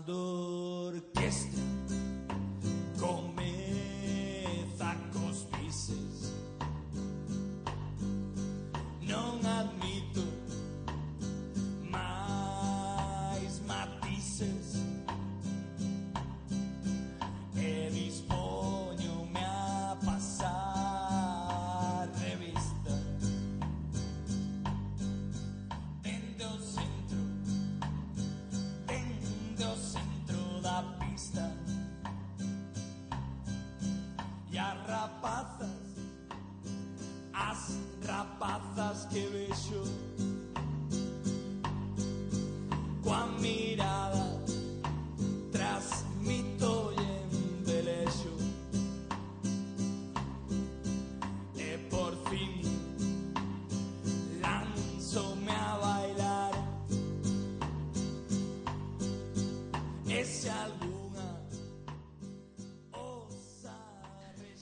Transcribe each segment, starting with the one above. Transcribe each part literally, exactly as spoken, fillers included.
cando orquestra comeza cos bises, non admito máis matices e dispóñome a pasar revista dende o centro, dende o centro da pista, e as rapazas, as rapazas que vexo coa mirada transmito e embelexo, e por fin lanzome a bailar, e se alguna osa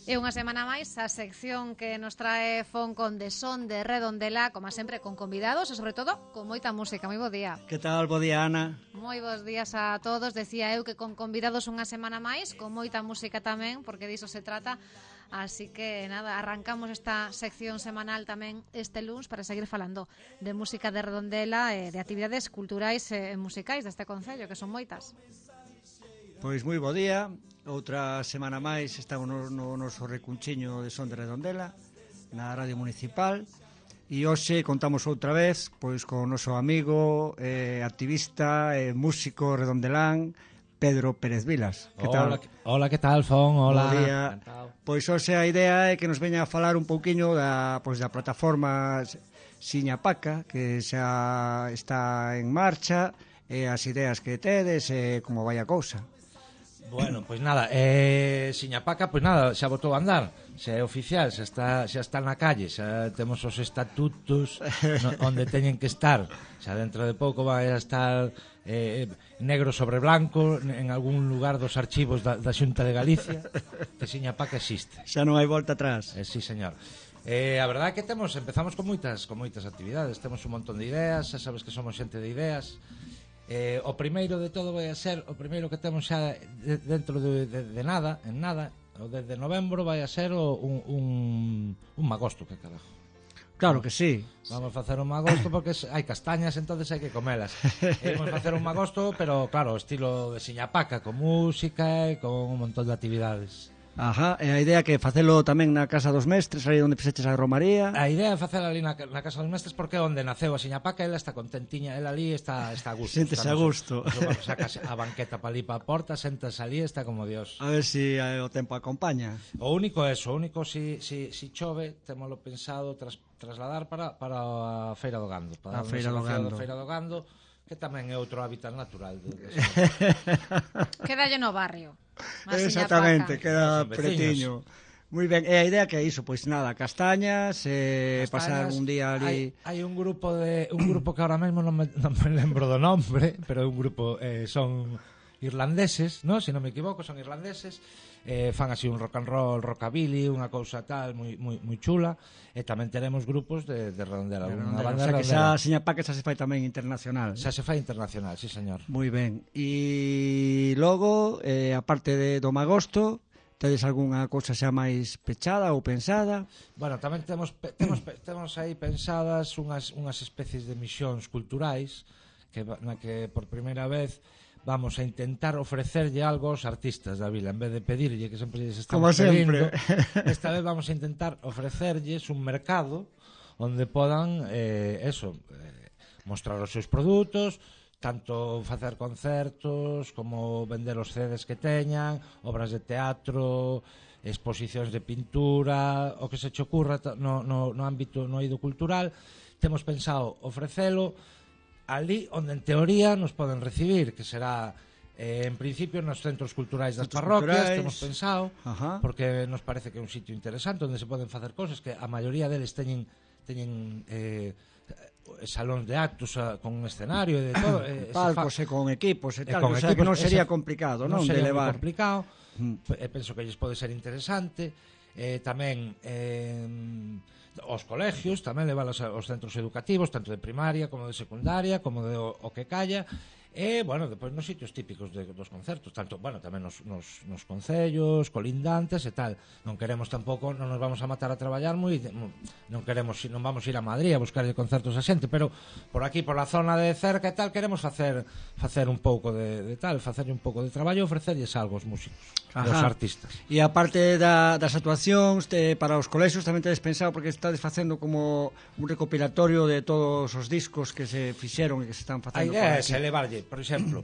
E unha semana máis a sección que nos trae Foncon de Son de Redondela, como sempre con convidados e sobre todo con moita música. Moi bo día. Que tal? Bo día, Ana. Moi bons días a todos. Decía eu que con convidados unha semana máis, con moita música tamén, porque diso se trata. Así que nada, arrancamos esta sección semanal tamén este luns para seguir falando de música de Redondela e de actividades culturais e musicais deste concello, que son moitas. Pois moi bo día. Outra semana máis estamos no, no noso recunchiño de Son de Redondela na Radio Municipal, e hoxe contamos outra vez pois con o noso amigo, eh, activista, eh, músico redondelán, Pedro Pérez Vilas. Que Hola, tal? que, hola, que tal, Fon? Hola. Bo día. Pois hoxe a idea é que nos veña a falar un pouquiño da, pois, da plataforma Siñapaca, que xa está en marcha, e as ideas que tedes e como vai a cousa. Bueno, pois nada, eh, Siñapaca, pois nada, xa botou a andar, xa é oficial, xa está, xa está na calle, xa temos os estatutos no, onde teñen que estar, xa dentro de pouco vai a estar eh, negro sobre blanco en algún lugar dos archivos da, da Xunta de Galicia, que Siñapaca existe. Xa non hai volta atrás. Eh, sí, señor. Eh, a verdade é que temos, empezamos con moitas, con moitas actividades, temos un montón de ideas, xa sabes que somos xente de ideas. Eh, o primeiro de todo vai a ser, o primeiro que temos xa de, dentro de, de, de nada, en nada, o desde novembro vai a ser o, un, un, un magosto, que carajo. Claro que sí. Vamos a facer un magosto porque hai castañas, entonces hai que comelas. E vamos a facer un magosto, pero claro, estilo de Siñapaca, con música e con un montón de actividades. Ajá, e a idea que facelo tamén na Casa dos Mestres, aí onde fixeches a Romaría. A idea é facela ali na, na Casa dos Mestres porque é onde naceu a Siñapaca, ela está contentiña, ela ali está, está a gusto. Séntese a gusto. Sacas a banqueta para ali para a porta, sentas ali, está como Dios. A ver se si o tempo acompaña. O único é eso, o único si, si, si chove, temoslo pensado tras, trasladar para, para a Feira do Gando. Para a Feira do Gando. A Feira do Gando, que tamén é outro hábitat natural. De, de Quédalle no barrio. Exactamente, queda pretiño. Moi ben, e a idea que é iso, pois nada, castañas, eh, castañas pasar un día ali. Hai, hai un grupo de un grupo que ahora mesmo non me, non me lembro do nombre, pero é un grupo eh, son irlandeses, no, se non me equivoco, son irlandeses. Eh, fan así un rock and roll, rockabilly, unha cousa tal moi moi moi chula, e tamén teremos grupos de de Redondela, unha banda o sea, de que xa Siñapaca xa se fai tamén internacional. Xa se fai internacional, sí, señor. Moi ben. E logo, eh, aparte de do magosto, tedes algunha cousa xa máis pechada ou pensada? Bueno, tamén temos temos temos aí pensadas unhas unhas especies de misións culturais que na que por primeira vez vamos a intentar ofrecerlle algo aos artistas da vila, en vez de pedirlle, que sempre lles estamos pedindo, esta vez vamos a intentar ofrecerlles un mercado onde podan, eh, eso, eh, mostrar os seus produtos, tanto facer concertos, como vender os C Ds que teñan, obras de teatro, exposicións de pintura, o que se che ocurra no, no, no ámbito, no eido cultural. Temos pensado ofrecelo ali onde en teoría nos poden recibir, que será eh, en principio nos centros culturais das parroquias, temos pensado. Ajá. Porque nos parece que é un sitio interesante onde se poden facer cosas que a maioría deles teñen teñen eh, salóns de actos a, con un escenario e de todo, eh, palcos e con equipos e tal, con o sea equipos, que non sería ese, complicado, non, non de sería levar. complicado. Mm. E penso que lles pode ser interesante. Eh, tamén eh, os colegios, tamén levalos aos centros educativos, tanto de primaria como de secundaria, como de o, o que calla, E, bueno, depois nos sitios típicos de, dos concertos, tanto, bueno, tamén nos, nos, nos concellos, colindantes e tal. Non queremos tampouco, non nos vamos a matar a traballar moi, non queremos, non vamos a ir a Madrid a buscar concertos a xente, pero por aquí, por la zona de cerca e tal, queremos facer facer un pouco de, de tal, facerlle un pouco de traballo e ofrecerlles algo aos músicos, aos artistas. E aparte da, das actuacións de, para os colexios, tamén tedes pensado, porque estades facendo como un recopilatorio de todos os discos que se fixeron e que se están facendo. A idea é elevarlle, por exemplo,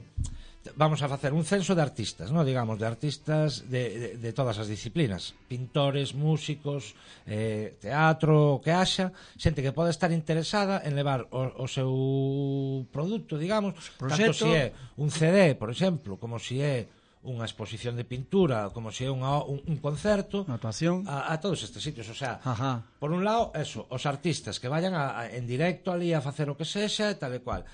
vamos a facer un censo de artistas, ¿no? Digamos, de artistas de, de, de todas as disciplinas, pintores, músicos, eh, teatro, o que haxa, xente que pode estar interesada en levar o, o seu produto, digamos, tanto se é un C D, por exemplo, como se é unha exposición de pintura, como se é unha, un, un concerto, unha actuación, a, a todos estes sitios. O sea, ajá, por un lado, eso, os artistas que vayan a, a, en directo ali a facer o que sexa, tal e cual.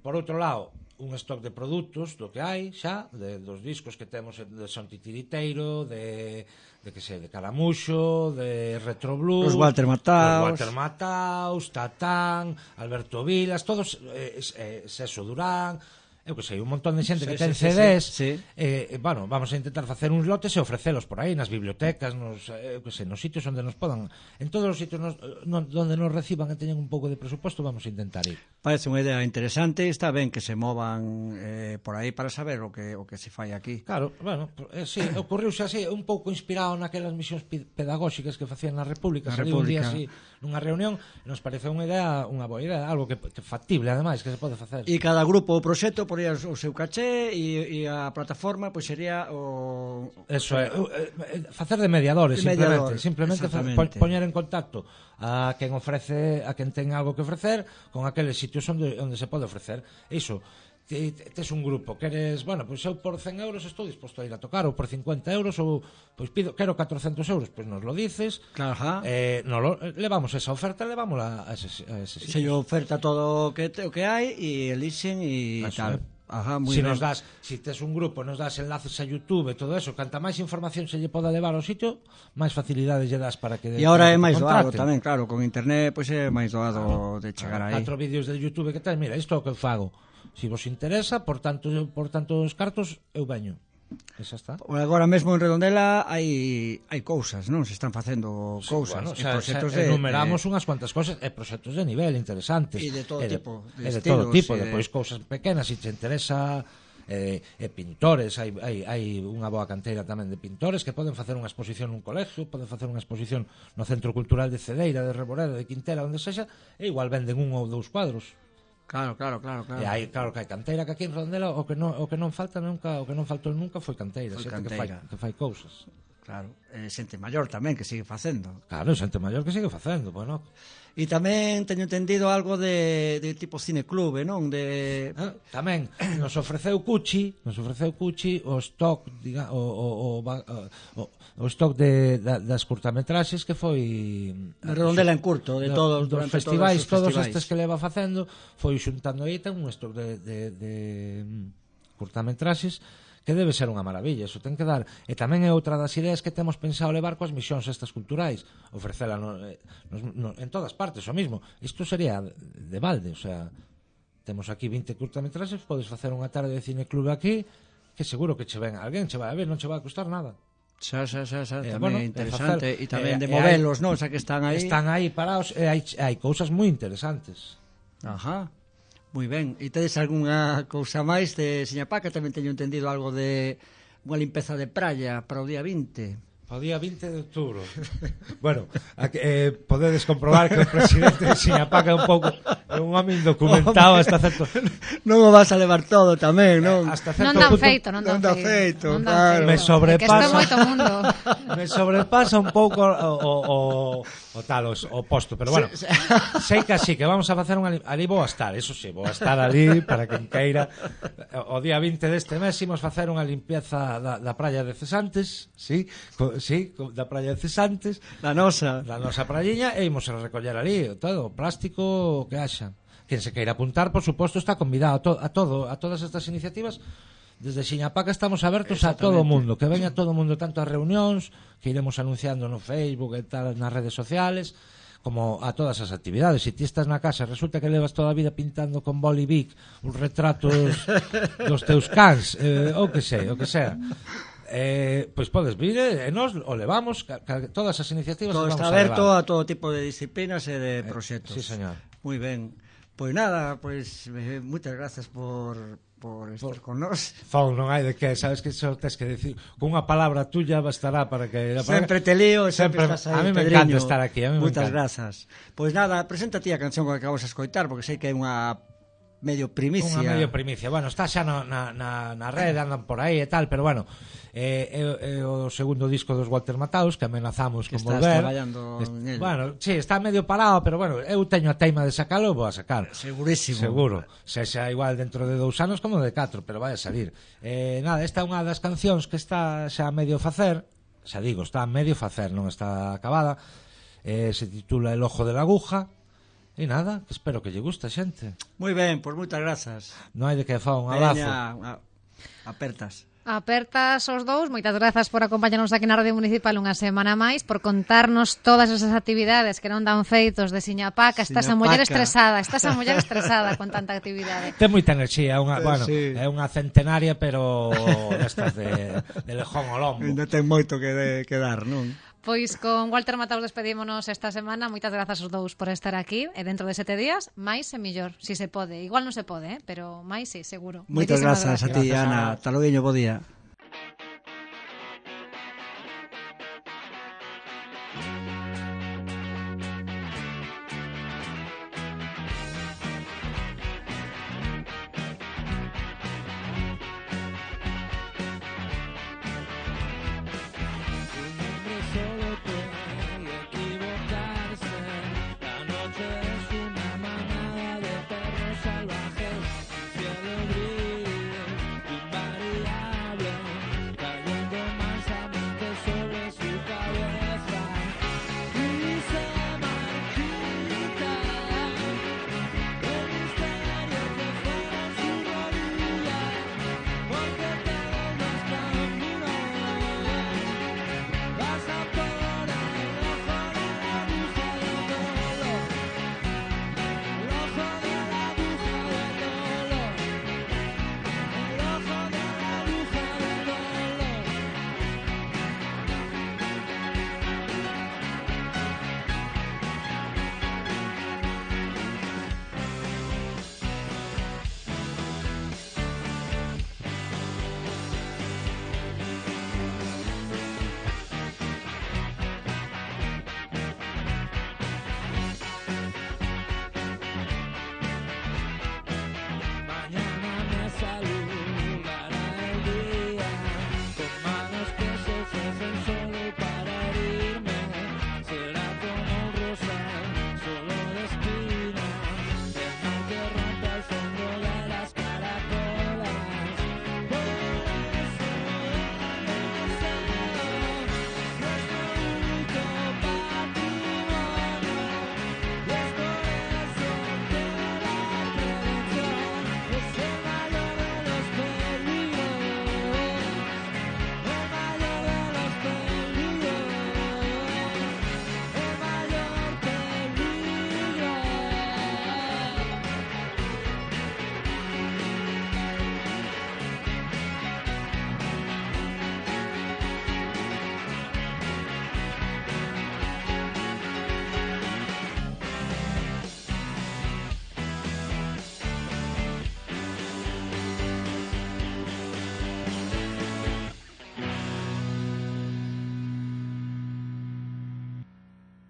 Por outro lado, un stock de produtos do que hai xa, de, dos discos que temos de Son Titiriteiro, de, de que sei, de Caramuxo, de Retro Blues, os Walter Mataos, os Walter Mataos, Tatán, Alberto Vilas, todos, eh, eh, Seso Durán, eu que sei, un montón de xente sí, que ten sí, C Ds, sí, sí. Eh, bueno, vamos a intentar facer uns lotes e ofrecelos por aí nas bibliotecas, nos, eu que sei, nos sitios onde nos podan, en todos os sitios nos, no, onde nos reciban e teñen un pouco de presuposto, vamos a intentar ir. Parece unha idea interesante, está ben que se movan eh, por aí para saber o que o que se fai aquí. Claro, bueno, eh, sí, ocorriuse así, un pouco inspirado naquelas misións pedagóxicas que facían na República, na saliu un día República. así nunha reunión, nos pareceu unha idea, unha boa idea, algo que, que factible ademais, que se pode facer. E cada grupo ou proxecto poría o seu caché e, e a plataforma pois sería o eso é, eh, facer de mediadores, de mediador, simplemente, simplemente poñer en contacto a quen ofrece, a quen ten algo que ofrecer con aqueles sitios onde, onde se pode ofrecer. Iso, tes un grupo, queres, bueno, pois eu por cen euros estou disposto a ir a tocar, ou por cincuenta euros, ou pois pido, quero catrocentos euros, pois nos lo dices, claro, eh, nos lo, levamos esa oferta, levámola a ese, a ese sitio. Se yo oferta todo o que, te, o que hai e elixen e tal. É. Ajá, muy si bien. nos das, si tes un grupo, nos das enlaces a YouTube e todo eso, canta máis información se lle poda levar ao sitio, máis facilidades lle das para que... E agora é máis doado tamén, claro, con internet pois é máis doado de chegar aí. Catro vídeos de YouTube que tens, mira, isto é o que eu fago. Si vos interesa, por tanto, por tantos cartos, eu veño. Esa está. Agora mesmo en Redondela hai hai cousas, non? Se están facendo cousas, sí, bueno, e o sea, proxectos de enumeramos de... unhas cuantas cousas e proxectos de nivel interesantes. E de todo e de, tipo, de, de estilos, todo tipo, de... depois cousas pequenas, se si te interesa eh, e pintores, hai, hai, hai unha boa canteira tamén de pintores que poden facer unha exposición nun colegio, poden facer unha exposición no Centro Cultural de Cedeira, de Reboreda, de Quintela, onde sexa, e igual venden un ou dous cuadros. Claro, claro, claro, claro. E hai, claro que hai canteira, que aquí en Redondela o que non o que non falta nunca, o que non faltou nunca foi canteira, foi xente canteira. que fai que fai cousas. Claro, e xente maior tamén que sigue facendo. Claro, xente maior que sigue facendo, bueno. E tamén teño entendido algo de, de tipo cineclube, non? De... Ah, tamén nos ofreceu Cuchi, nos ofreceu Cuchi o stock, diga, o, o, o, o, o stock de, da, das curtametraxes que foi de Redondela en curto, de todos, dos festivais, todos, todos estes que leva facendo, foi xuntando aí, ten un stock de, de, de curtametraxes que debe ser unha maravilla, eso ten que dar. E tamén é outra das ideas que temos pensado levar coas misións estas culturais, ofrecela no, no, no, en todas partes, o mismo. Isto sería de balde, o sea, temos aquí vinte curtametraxes, podes facer unha tarde de cineclube aquí, que seguro que che ven alguén, che vai a ver, non che vai a costar nada. Xa, xa, xa, xa, eh, tamén bueno, interesante, e tamén eh, de modelos, non? O sea, que están aí. Están aí parados, e hai, hai cousas moi interesantes. Ajá. Moi ben, e tedes algunha cousa máis de Siñapaca? Tamén teño entendido algo de unha limpeza de praia para o día vinte. Para o día vinte de outubro. Bueno, eh, podedes comprobar que o presidente de Siñapaca é un pouco é un home indocumentado hasta certo... Non o vas a levar todo tamén, non? Hasta certo non dan punto... feito, non dan, non dan feito. feito, non claro. feito. Me sobrepasa... É que isto é moito mundo. Me sobrepasa un pouco o, o, o, o tal, o, o posto, pero bueno, sí, sí. Sei que así, que vamos a facer unha... Ali vou a estar, eso sí, vou a estar ali para quen queira. O día vinte deste mes imos facer unha limpieza da, da praia de Cesantes, sí, co, sí, co, da praia de Cesantes, da nosa, da nosa prayiña, e imos a recoller ali todo, plástico, o que haxa. Quen se queira apuntar, por suposto, está convidado a, to, a todo, a todas estas iniciativas. Desde Siñapaca estamos abertos a todo o mundo, que veña todo o mundo, tanto a reunións que iremos anunciando no Facebook e tal, nas redes sociales, como a todas as actividades. Se ti estás na casa, resulta que levas toda a vida pintando con boli bic os retratos dos teus cans, eh, ou que sei, o que sea. Eh, pois podes vir e nos o levamos, ca, ca, todas as iniciativas Todo as está vamos aberto a levar. a todo tipo de disciplinas e de proxectos. Sí, señor. Moi ben. Pois nada, pois eh, moitas grazas por por estar con nós. Fon, non hai de que, sabes que só tes que decir con unha palabra tuya bastará para que Sempre te lío, sempre, Sempre- estás aí, a mí me Pedriño. encanta estar aquí, a mí me Moitas encanta. grazas. Pois nada, presenta ti a canción que acabamos de escoitar, porque sei que é unha medio primicia. Unha medio primicia. Bueno, está xa no, na, na, na rede, andan por aí e tal, pero bueno, eh, é, é o segundo disco dos Walter Mataus que amenazamos Que con estás volver. traballando Est- en el. Bueno, sí, está medio parado, pero bueno, eu teño a teima de sacalo, vou a sacar. Segurísimo. Seguro. Se xa igual dentro de dous anos como de catro, pero vai a salir. Eh, nada, esta é unha das cancións que está xa a medio facer, xa digo, está a medio facer, non está acabada. Eh, se titula El ojo de la aguja. E nada, espero que lle guste, xente. Moi ben, pois moitas grazas. Non hai de que fa un abrazo. Veña, a- apertas. Apertas os dous, moitas grazas por acompañarnos aquí na Radio Municipal unha semana máis, por contarnos todas esas actividades que non dan feitos de Siñapaca. Estás a muller Siñapaca. estresada, estás a muller estresada con tanta actividade. Ten moita enerxía, é unha, Eh, bueno, sí. é unha centenaria, pero destas de, de lejón ao lombo. Ainda ten moito que, de, que dar, non? Pois con Walter Mataus despedímonos esta semana. Moitas grazas aos dous por estar aquí. E dentro de sete días, máis e millor, si se pode. Igual non se pode, eh? Pero máis si, seguro. Moitas Moitísimas grazas a ti, Gracias, Ana. Ana. Hasta logo, bo día.